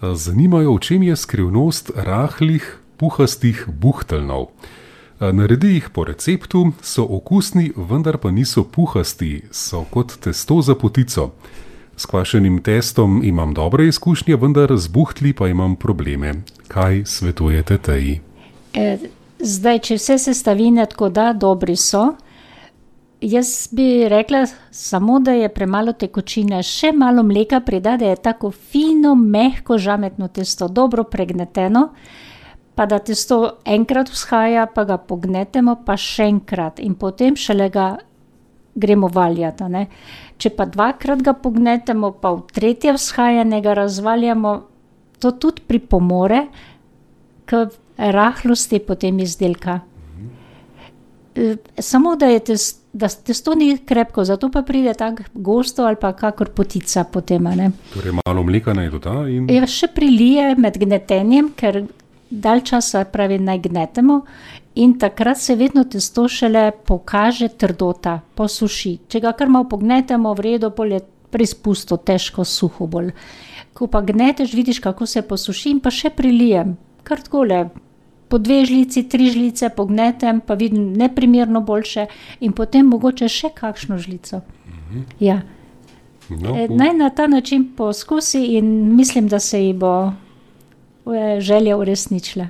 Zanimajo, v čem je skrivnost rahlih, puhastih buhteljnov. Naredi jih po receptu, so okusni, vendar pa niso puhasti, so kot testo za potico. S kvašenim testom imam dobre izkušnje, vendar z buhtli pa imam probleme. Kaj svetujete Teji? Zdaj, če vse sestavine tako da, dobri so. Jaz bi rekla samo, da je premalo tekočine, še malo mleka prida, da je tako fino, mehko, žametno testo, dobro pregneteno, pa da testo enkrat vzhaja, pa ga pognetemo, pa še enkrat in potem šele ga gremo valjati, a ne. Če pa dvakrat ga pognetemo, pa v tretje vzhajanje ga razvaljamo, to tudi pripomore k rahlosti potem izdelka. Samo, da testo ni krepko, zato pa pride tako gosto ali pa kakor potica potem, a ne. Torej malo mleka naj doda in... Ja, še prilije med gnetenjem, ker dalj časa pravi naj gnetemo in takrat se vedno testo šele pokaže trdota, posuši. Če ga kar malo pognetemo, v redu, pol je preizpusto, težko, suho bolj. Ko pa gneteš, vidiš, kako se posuši in pa še prilijem. Kar takole, po 2 žlici, 3 žlice pognetem, pa vidim neprimerno boljše in potem mogoče še kakšno žlico. Ja. No, Naj na ta način poskusi in mislim, da se ji bo želja uresničila.